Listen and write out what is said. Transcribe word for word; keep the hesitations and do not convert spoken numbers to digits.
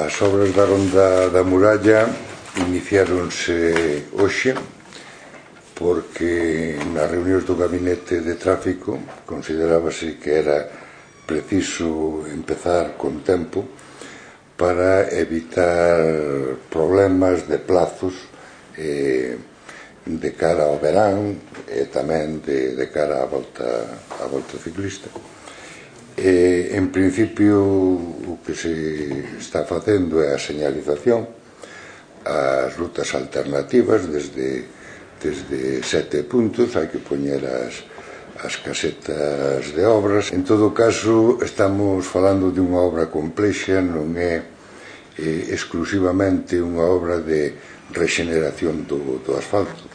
As obras da Ronda da Muralla iniciáronse hoxe porque nas reunións do gabinete de tráfico considerábase que era preciso empezar con tempo para evitar problemas de plazos eh, de cara ao verán e tamén de, de cara á volta, á volta ciclista. Eh, en principio o que se está facendo é a señalización, as rutas alternativas desde, desde sete puntos, hai que poñer as, as casetas de obras. En todo caso, estamos falando de unha obra complexa, non é eh, exclusivamente unha obra de rexeneración do, do asfalto.